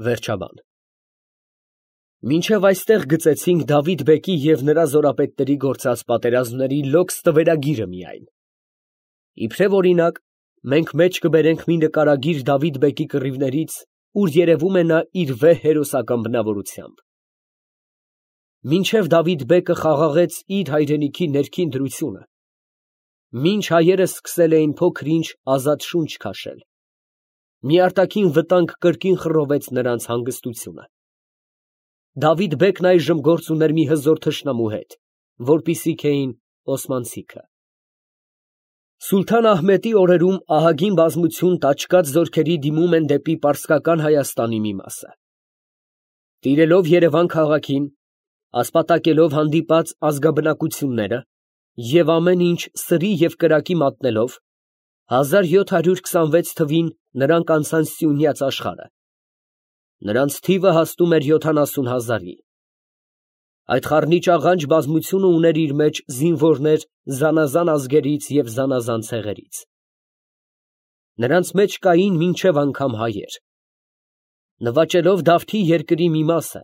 Վերջաբան Մինչև այստեղ գծեցինք Դավիթ բեկի և նրա զորապետների գործած պատերազմների լոկս տվերագիրը միայն. իբրև օրինակ, մենք մեջ կբերենք մի նկարագիր Դավիթ բեկի կռիվներից, ուր երևում է նա իր վեհ հերոսական բնավորությամբ։ Մինչև Դավիթ բեկը խաղաղեց իր հայրենիքի ներքին դրությունը, մինչ հայերը սկսել էին փոքր-ինչ ազատ շունչ քաշել, մի արտաքին վտանգ կրկին խռովեց նրանց հանգստությունը։ Դավիթ բեկն այժմ գործ ուներ մի հզոր թշնամու հետ, որպիսիք էին օսմանցիքը։ Սուլթան Ահմեդի օրերում ահագին բազմություն տաճկաց զորքերի դիմում են դեպի պարսկական Հայաստանի մի մասը։ Տիրելով Երևան քաղաքին, ասպատակելով հանդիպած ազգաբնակությունները և ամեն ինչ սրի և կրակի մատնելով, 1726 թվին նրանք անցան Սյունյաց աշխարհը։ Նրանց թիվը հասնում էր 70,000-ի։ Այդ խառնիճաղանճ բազմությունը ուներ իր մեջ զինվորներ զանազան ազգերից և զանազան ցեղերից։ Նրանց մեջ կային մինչև անգամ հայեր։ Նվաճելով Դավթի երկրի մի մասը,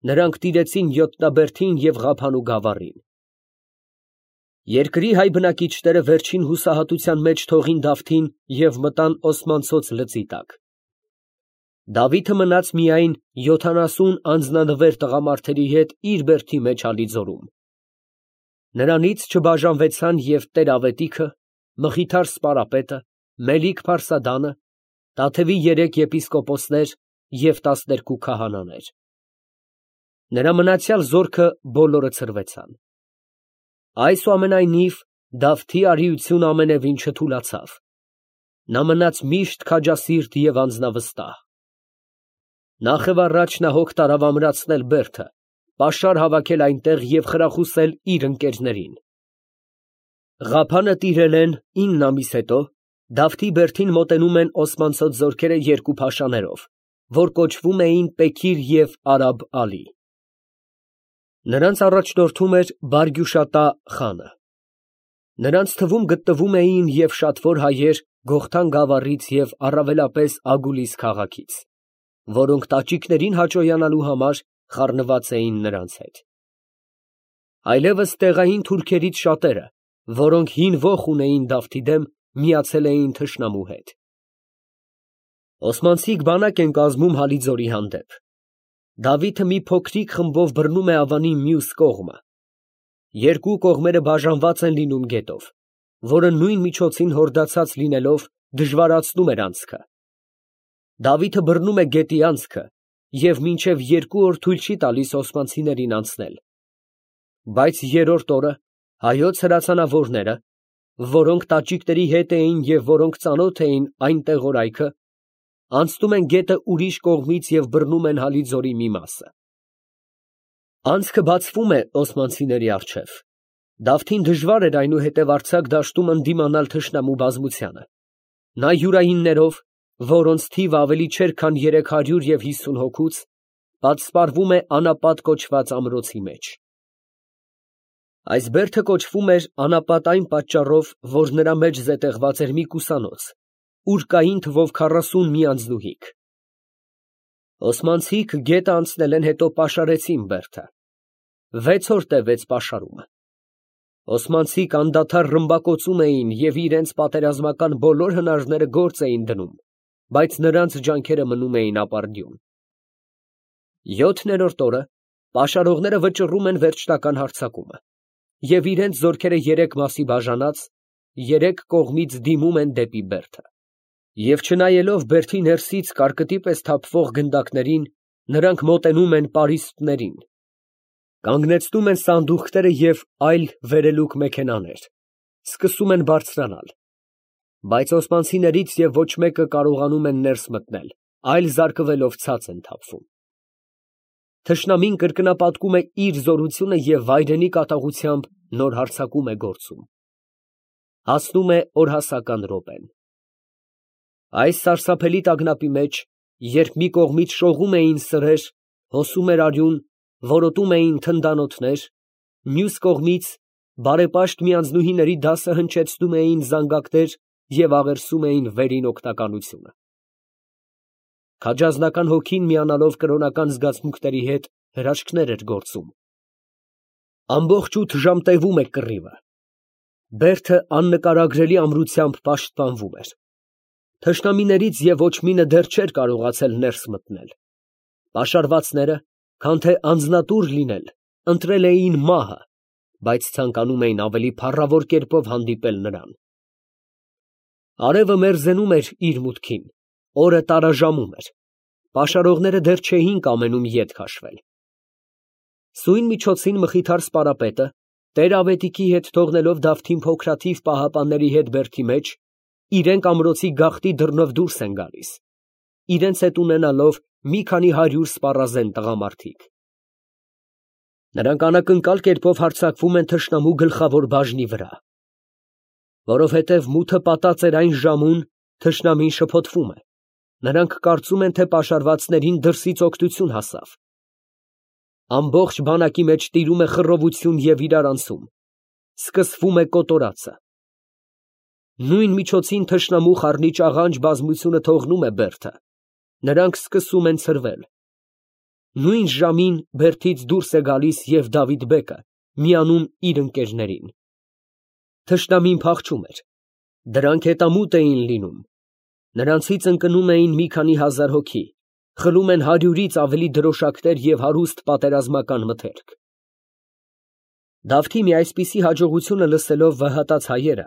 նրանք տիրեցին Յոթնաբերդին և Ղափանու գավառին։ Երկրի հայ բնակիչները վերջին հուսահատության մեջ թողին Դավթին և մտան Օսմանցոց լծի տակ։ Դավիթը մնաց միայն 70 անձնանվեր տղամարդերի հետ իր բերդի մեջ Ալիձորում։ Նրանից չբաժանվեցան և Տեր֊Ավետիքը, Մխիթար սպարապետը, Մելիք փարսադանը, Տաթևի 3 եպիսկոպոսներ և 12 քահանաներ։ Նրա մնացյալ զորքը բոլորը ցրվեցան։ Այսուամենայնիվ, Դավթի արիությունը ամենևին չթուլացավ։ Նա մնաց միշտ քաջասիրտ և անձնավստահ։ Նախևառաջ նա հոգ տարավ ամրացնել բերդը, պաշար հավաքել այնտեղ և խրախուսել իր ընկերներին։ Ղափանը տիրել են 9 ամիս հետո, Դավթի բերդին մոտենում են օսմանցոց զորքերը երկու փաշաներով, որ կոչվում էին Պեքիր և Արաբ֊Ալի։ Նրանց առաջնորդում էր Բարգյուշատա խանը։ Նրանց թվում գտնվում էին և շատվոր հայեր Գողթան գավառից և առավելապես Ագուլիս քաղաքից, որոնք տաճիկներին հաճոյանալու համար խառնված էին նրանց հետ։ Այլևս տեղային թուրքերից շատերը, որոնք հին ոխ ունեին Դավթի դեմ, միացել էին թշնամու հետ։ Օսմանցիք բանակ են կազմում Հալիձորի հանդեպ։ Դավիթը մի փոքրիկ խմբով բռնում է Ավանի մյուս կողմը։ Երկու կողմերը բաժանված են լինում գետով, որը նույն միջոցին հորդացած լինելով դժվարացնում էր անցքը։ Դավիթը բռնում է գետի անցքը և մինչև 2 օր թույլ չի տալիս օսմանցիներին անցնել։ Բայց երրորդ օրը հայոց հրացանավորները, որոնք տաճիկների հետ էին և որոնք ծանոթ էին այն տեղորայքը, անցնում են գետը ուրիշ կողմից և բռնում են Հալիձորի մի մասը։ Անցքը բացվում է օսմանցիների առջև։ Դավթին դժվար էր այնուհետև արձակ դաշտում ընդդիմանալ թշնամու բազմությանը։ Նա յուրայիններով, որոնց թիվը ավելի չէր քան 350 հոգուց, պատսպարվում է Անապատ կոչված ամրոցի մեջ։ Այս բերդը կոչվում էր Անապատ այն պատճառով, որ նրա մեջ զետեղված էր մի կուսանոց, ուր կային թվով 40 մի անձնուհիք։ Օսմանցիք գետը անցնել են, հետո պաշարեցին բերդը։ 6 օր տևեց պաշարումը։ Օսմանցիք անդադար ռմբակոծում էին և իրենց պատերազմական բոլոր հնարները գործ էին դնում, բայց նրանց ջանքերը մնում էին ապարդյուն։ 7-րդ օրը պաշարողները վճռում են վերջնական հարձակումը և իրենց զորքերը 3 մասի բաժանած, 3 կողմից դիմում են դեպի բերդը։ Եվ չնայելով բերդի ներսից կարկտի պես թափվող գնդակներին, նրանք մոտենում են պարիսպներին, կանգնեցնում են սանդուղքները և այլ վերելուկ մեքենաներ, սկսում են բարձրանալ, բայց օսմանցիներից և ոչ մեկը կարողանում են ներս մտնել, այլ զարկվելով ցած են թափվում։ Թշնամին կրկնապատկում է իր զորությունը և վայրենի կատաղությամբ նոր հարձակում է գործում։ Հասնում է օրհասական րոպեն։ Այս սարսափելի տագնապի մեջ, երբ մի կողմից շողում էին սրեր, հոսում էր արյուն, որոտում էին թնդանոթներ, մյուս կողմից բարեպաշտ մի անձնուհիների դասը հնչեցնում էին զանգակներ և աղերսում էին վերին օգնականությունը։ քաջազնական հոգին միանալով կրոնական զգացմունքների հետ հրաշքներ էր գործում։ Ամբողջ 8 ժամ տևում է կռիվը։ Բերդը աննկարագրելի ամրությամբ պաշտպանվում էր։ Թշնամիներից և ոչ մինը դեռ չէր կարողացել ներս մտնել։ Պաշարվածները, քան թե անձնատուր լինել, ընտրել էին մահը, բայց ցանկանում էին ավելի փառավոր կերպով հանդիպել նրան։ Արևը մերձենում էր իր մուտքին, օրը տարաժամում էր, պաշարողները դեռ չէին կամենում ետ քաշվել։ Սույն միջոցին Մխիթար սպարապետը, Տեր-Ավետիքի հետ թողնելով Դավթին փոքրաթիվ պահապանների հետ բերդի մեջ, իրենք ամրոցի գաղտնի դռնով դուրս են գալիս, իրենց հետ ունենալով մի քանի 100 սպառազեն տղամարդիկ։ Նրանք անակնկալ կերպով հարձակվում են թշնամու գլխավոր բաժնի վրա։ Որովհետև մութը պատած էր այն ժամուն, թշնամին շփոթվում է, նրանք կարծում են, թե պաշարվածներին դրսից օգնություն հասավ։ Ամբողջ բանակի մեջ տիրում է խռովություն և իրարանցում, սկսվում է կոտորածը։ Նույն միջոցին թշնամու խառնիչ աղանջ բազմությունը թողնում է բերդը, նրանք սկսում են ցրվել։ Նույն ժամին բերդից դուրս է գալիս և Դավիթ բեկը, միանում իր ընկերներին։ Թշնամին փախչում էր, դրանք հետամուտ էին լինում, նրանցից ընկնում էին մի քանի հազար հոգի, խլում են 100-ից ավելի դրոշակներ և հարուստ պատերազմական մթերք։ Դավթի մի այսպիսի հաջողությունը լսելով վհատած հայերը,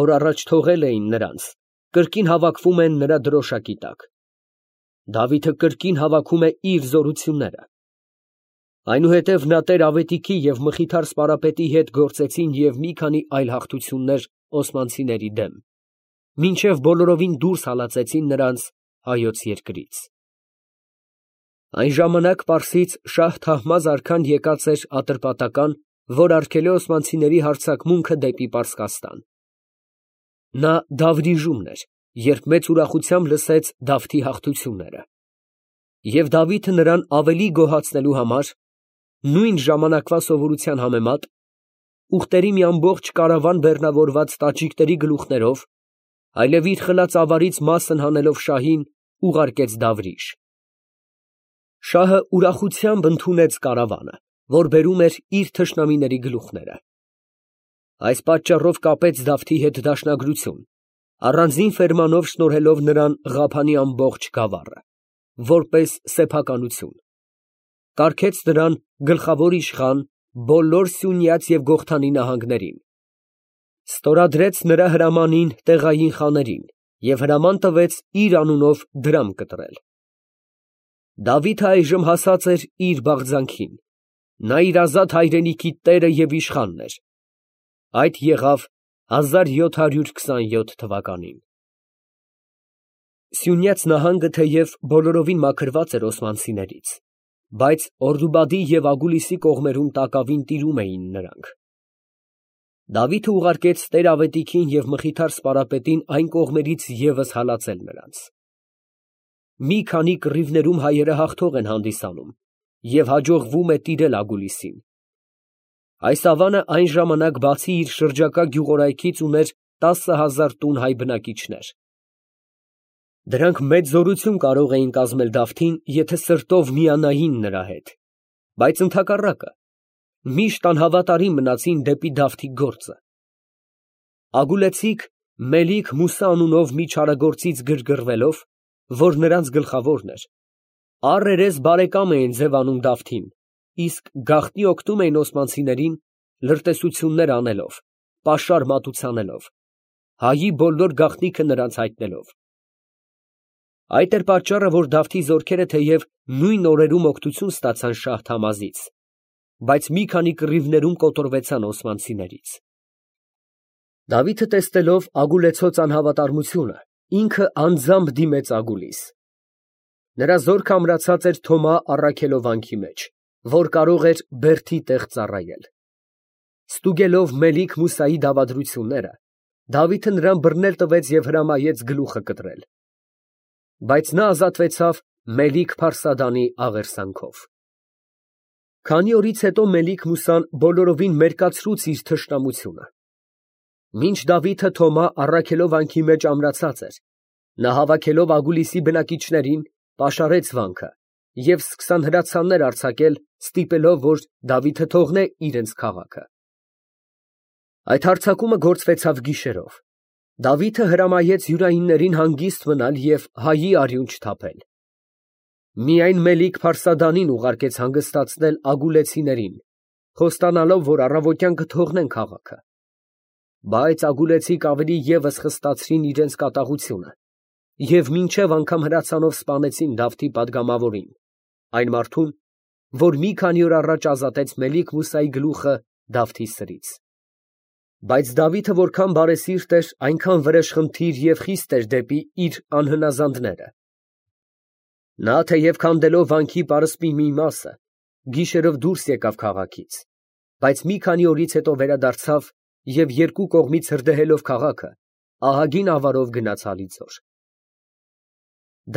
որ առաջ թողել էին նրանց, կրկին հավաքվում են նրա դրոշակի տակ։ Դավիթը կրկին հավաքում է իր զորությունները։ Այնուհետև նա Տեր-Ավետիքի և Մխիթար սպարապետի հետ գործեցին և մի քանի այլ հաղթություններ օսմանցիների դեմ, մինչև բոլորովին դուրս հալածեցին նրանց հայոց երկրից։ Այն ժամանակ Պարսից շահ Թահմազ արքան եկած էր ատրպատական, որ արգել է օսմանցիների հարձակմունքը դեպի Պարսկաստան։ Նա Դավրիժումն էր, երբ մեծ ուրախությամբ լսեց Դավթի հաղթությունները։ Եվ Դավիթը նրան ավելի գոհացնելու համար, նույն ժամանակվա սովորության համեմատ, ուղտերի մի ամբողջ կարավան բեռնավորված տաճիկների գլուխներով, այլև իր խլած ավարից մասն հանելով շահին, ուղարկեց Դավրիժ։ Շահը ուրախությամբ ընդունեց կարավանը, որ բերում էր իր թշնամիների գլուխները։ Այս պատճառով կապեց Դավթի հետ դաշնագրություն, առանձին ֆերմանով շնորհելով նրան Ղափանի ամբողջ գավառը, որպես սեփականություն։ Կարգեց նրան գլխավոր իշխան բոլոր Սյունյաց և Գողթանի նահանգներին։ Ստորադրեց նրա հրամանին տեղային խաներին և հրաման տվեց իր անունով դրամ կտրել։ Դավիթը այժմ հասած էր իր բաղձանքին, նա իր ազատ հայրենիքի տերը և իշխանն էր։ Այդ եղավ 1727 թվականին։ Սյունյաց նահանգը թեև բոլորովին մաքրված էր օսմանցիներից, բայց Օրդուբադի և Ագուլիսի կողմերում տակավին տիրում էին նրանք։ Դավիթը ուղարկեց Տեր-Ավետիքին և Մխիթար սպարապետին այն կողմերից ևս հալածել նրանց։ Մի քանի կռիվներում հայերը հաղթող են հանդիսանում և հաջողվում է տիրել Ագուլիսին։ Այս ավանը այն ժամանակ բացի իր շրջակա գյուղորայքից ուներ 10,000 տուն հայ բնակիչներ։ Դրանք մեծ զորություն կարող էին կազմել Դավթին, եթե սրտով միանային նրա հետ, բայց ընդհակառակը, միշտ անհավատարիմ մնացին դեպի Դավթի գործը։ Ագուլեցիք Մելիք-Մուսա անունով մի չարագործից գրգռվելով, որ նրանց գլխավորն էր, առերես բարեկամ էին ձևանում Դավթին, իսկ գաղտնի օգնում էին օսմանցիներին լրտեսություններ անելով, պաշար մատուցանելով, հայի բոլոր գաղտնիքը նրանց հայտնելով։ Այդ էր պատճառը, որ Դավթի զորքերը թեև նույն օրերում օգնություն ստացան շահ Թամազից, բայց մի քանի կռիվներում կոտորվեցան օսմանցիներից։ Դավիթը տեսնելով ագուլեցոց անհավատարմությունը, ինքը անձամբ դիմեց Ագուլիս։ Նրա զորքը ամրացած էր Թոմա առաքելովանքի մեջ, որ կարող էր բերդի տեղ ծառայել։ Ստուգելով Մելիք-Մուսայի դավադրությունները, Դավիթը նրան բռնել տվեց և հրամայեց գլուխը կտրել։ Բայց նա ազատվեցավ Մելիք-Փարսադանի աղերսանքով։ Քանի օրից հետո Մելիք-Մուսան բոլորովին մերկացրուց իր թշնամությունը։ Մինչ Դավիթը Թոմա առաքելովանքի մեջ ամրացած էր, նա հավաքելով Ագուլիսի բնակիչներին պաշարեց վանքը և սկսան հրացաններ արձակել, ստիպելով, որ Դավիթը թողնե իրենց քաղաքը։ Այդ հարձակումը գործվեցավ գիշերով։ Դավիթը հրամայեց յուրայիններին հանգիստ մնալ և հայի արյուն չթափել։ Միայն Մելիք-Փարսադանին ուղարկեց հանգստացնել ագուլեցիներին, խոստանալով, որ առավոտյան կթողնեն քաղաքը։ Բայց ագուլեցիք ավելի ևս խստացրին իրենց կատաղությունը և մինչև անգամ հրացանով սպանեցին Դավթի պատգամավորին, այն մարդուն, որ մի քանի օր առաջ ազատեց Մելիք֊Մուսայի գլուխը Դավթի սրից։ Բայց Դավիթը որքան բարեսիրտ էր, այնքան վրեժխնդիր և խիստ էր դեպի իր անհնազանդները։ Նա թեև քանդելով վանքի պարսպի մի մասը, գիշերով դուրս եկավ քաղաքից, բայց մի քանի օրից հետո վերադարձավ և երկու կողմից հրդեհելով քաղաքը, ահագին ավարով գնաց Հալիձոր։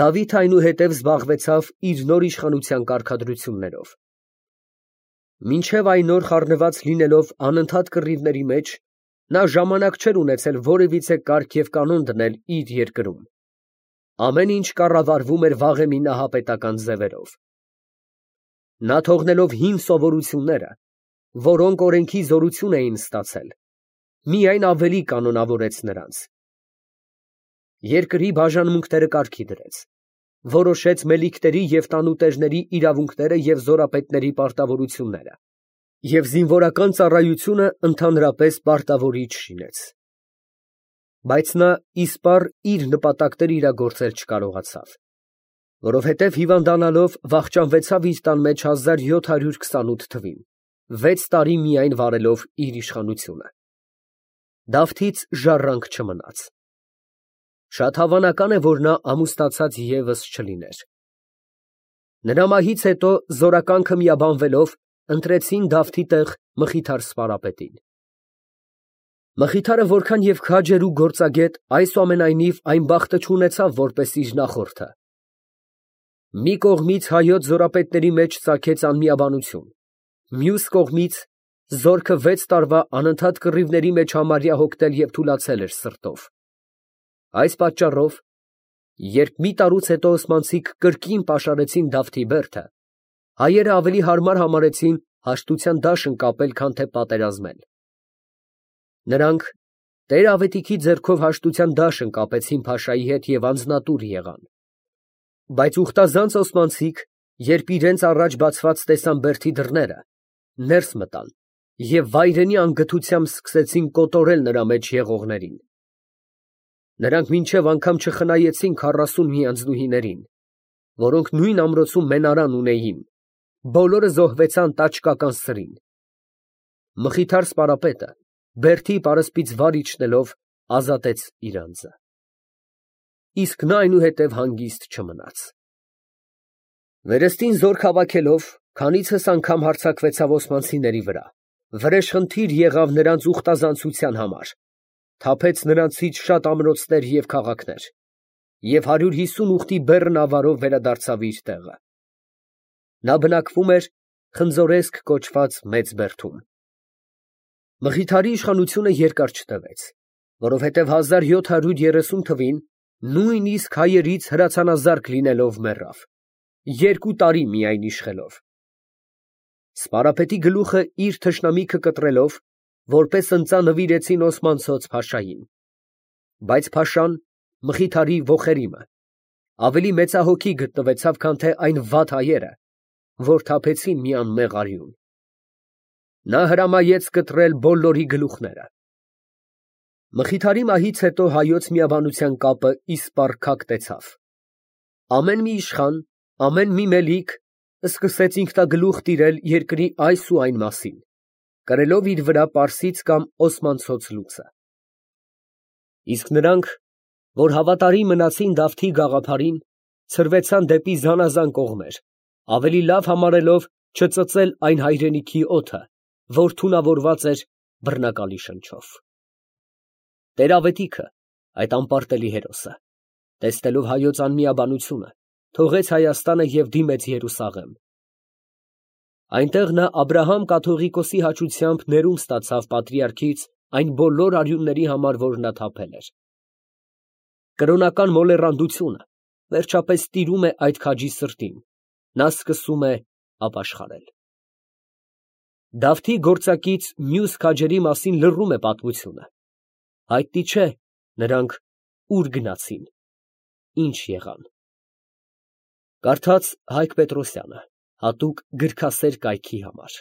Դավիթը այնուհետև զբաղվեցավ իր նոր իշխանության կարգադրություններով։ Մինչև այն օր խառնված լինելով անընդհատ կռիվների մեջ, նա ժամանակ չէր ունեցել որևիցե կարգ և կանոն դնել իր երկրում։ Ամեն ինչ կառավարվում էր վաղեմի նահապետական ձևերով։ Նա թողնելով հին սովորությունները, որոնք օրենքի զորություն էին ստացել, միայն ավելի կանոնավորեց նրանց։ Երկրի բաժանմունքները կարգի դրեց, որոշեց մելիքների և տանուտերների իրավունքները և զորապետների պարտավորությունները և զինվորական ծառայությունը ընդհանրապես պարտավորիչ շինեց։ Բայց նա իսպառ իր նպատակները իրագործել չկարողացավ, որովհետև հիվանդանալով վախճանվեցավ իր տան մեջ 1728 թվին, 6 տարի միայն վարելով իր իշխանությունը։ Դավթից ժառանգ չմնաց։ Շատ հավանական է, որ նա ամուսնացած ևս չլիներ։ Նրա մահից հետո զորականքը միաբանվելով ընտրեցին Դավթի տեղ Մխիթար սպարապետին։ Մխիթարը որքան և քաջ էր ու գործագետ, այսուամենայնիվ այն բախտը չունեցավ, որպես իր նախորդը։ Մի կողմից հայոց զորապետների մեջ ծագեց անմիաբանություն, մյուս կողմից զորքը 6 տարվա անընդհատ կռիվների մեջ համարյա հոգնել և թուլացել էր սրտով։ Այս պատճառով, երբ մի տարուց հետո օսմանցիք կրկին պաշարեցին Դավթի բերդը, հայերը ավելի հարմար համարեցին հաշտության դաշն կապել, քան թե պատերազմել։ Նրանք տեր֊ավետիքի ձեռքով հաշտության դաշն կապեցին փաշայի հետ և անձնատուր եղան։ Բայց ուխտազանց օսմանցիք, երբ իրենց առաջ բացված տեսան բերդի դռները, ներս մտան և վայրենի անգթությամբ սկսեցին կոտորել նրա մեջ եղողներին։ Նրանք մինչև անգամ չխնայեցին 40 միանձնուհիներին, որոնք նույն ամրոցում մենարան ունեին, բոլորը զոհվեցան տաճկական սրին։ Մխիթար սպարապետը բերդի պարսպից վար իջնելով ազատեց իր անձը։ Իսկ նա այնուհետև հանգիստ չմնաց։ Վերստին զորք հավաքելով, քանիցս անգամ հարձակվեցավ օսմանցիների վրա, վրեժխնդիր եղավ նրանց ուխտազանցության համար, թափեց նրանցից շատ ամրոցներ և քաղաքներ, և 150 ուխտի բեռն ավարով վերադարձավ իր տեղը։ Նա բնակվում էր Խնձորեսկ կոչված մեծ բերդում։ Մխիթարի իշխանությունը երկար չտևեց, որովհետև 1730 թվին նույնիսկ հայերից հրացանազարկ լինելով մեռավ, 2 տարի միայն իշխելով։ Սպարապետի գլուխը իր թշնամիքը կտրելով, որպես ընծա նվիրեցին օսմանցոց փաշային։ Բայց փաշան, Մխիթարի ոխերիմը, ավելի մեծահոգի գտնվեցավ, քան թե այն վատ հայերը, որ թափեցին մի անմեղ արյուն։ Նա հրամայեց կտրել բոլորի գլուխները։ Մխիթարի մահից հետո հայոց միաբանության կապը իսպառ քակտեցավ։ Ամեն մի իշխան, ամեն մի մելիք սկսեց ինքնագլուխ տիրել երկրի այս ու այն մասին, կրելով իր վրա պարսից կամ օսմանցոց լուծը։ Իսկ նրանք, որ հավատարիմ մնացին Դավթի գաղափարին, ցրվեցան դեպի զանազան կողմեր, ավելի լավ համարելով չծծել այն հայրենիքի օդը, որ թունավորված էր բռնակալի շնչով։ Տեր֊ավետիքը, այդ անպարտելի հերոսը, տեսնելով հայոց անմիաբանությունը, թողեց Հայաստանը և դիմեց Երուսաղեմ։ Այնտեղ նա Աբրահամ կաթողիկոսի հաճությամբ ներում ստացավ պատրիարքից այն բոլոր արյունների համար, որ նա թափել էր։ Կրոնական մոլեռանդությունը, վերջապես տիրում է այդ քաջի սրտին, նա սկսում է ապաշխարել։ Դավթի գործակից մյուս քաջերի մասին լռում է պատմությունը, հայտնի չէ նրանք ուր գնացին, ինչ եղան։ Կարդաց Հայկ Պետրոսյանը, հատուկ գրքասեր կայքի համար։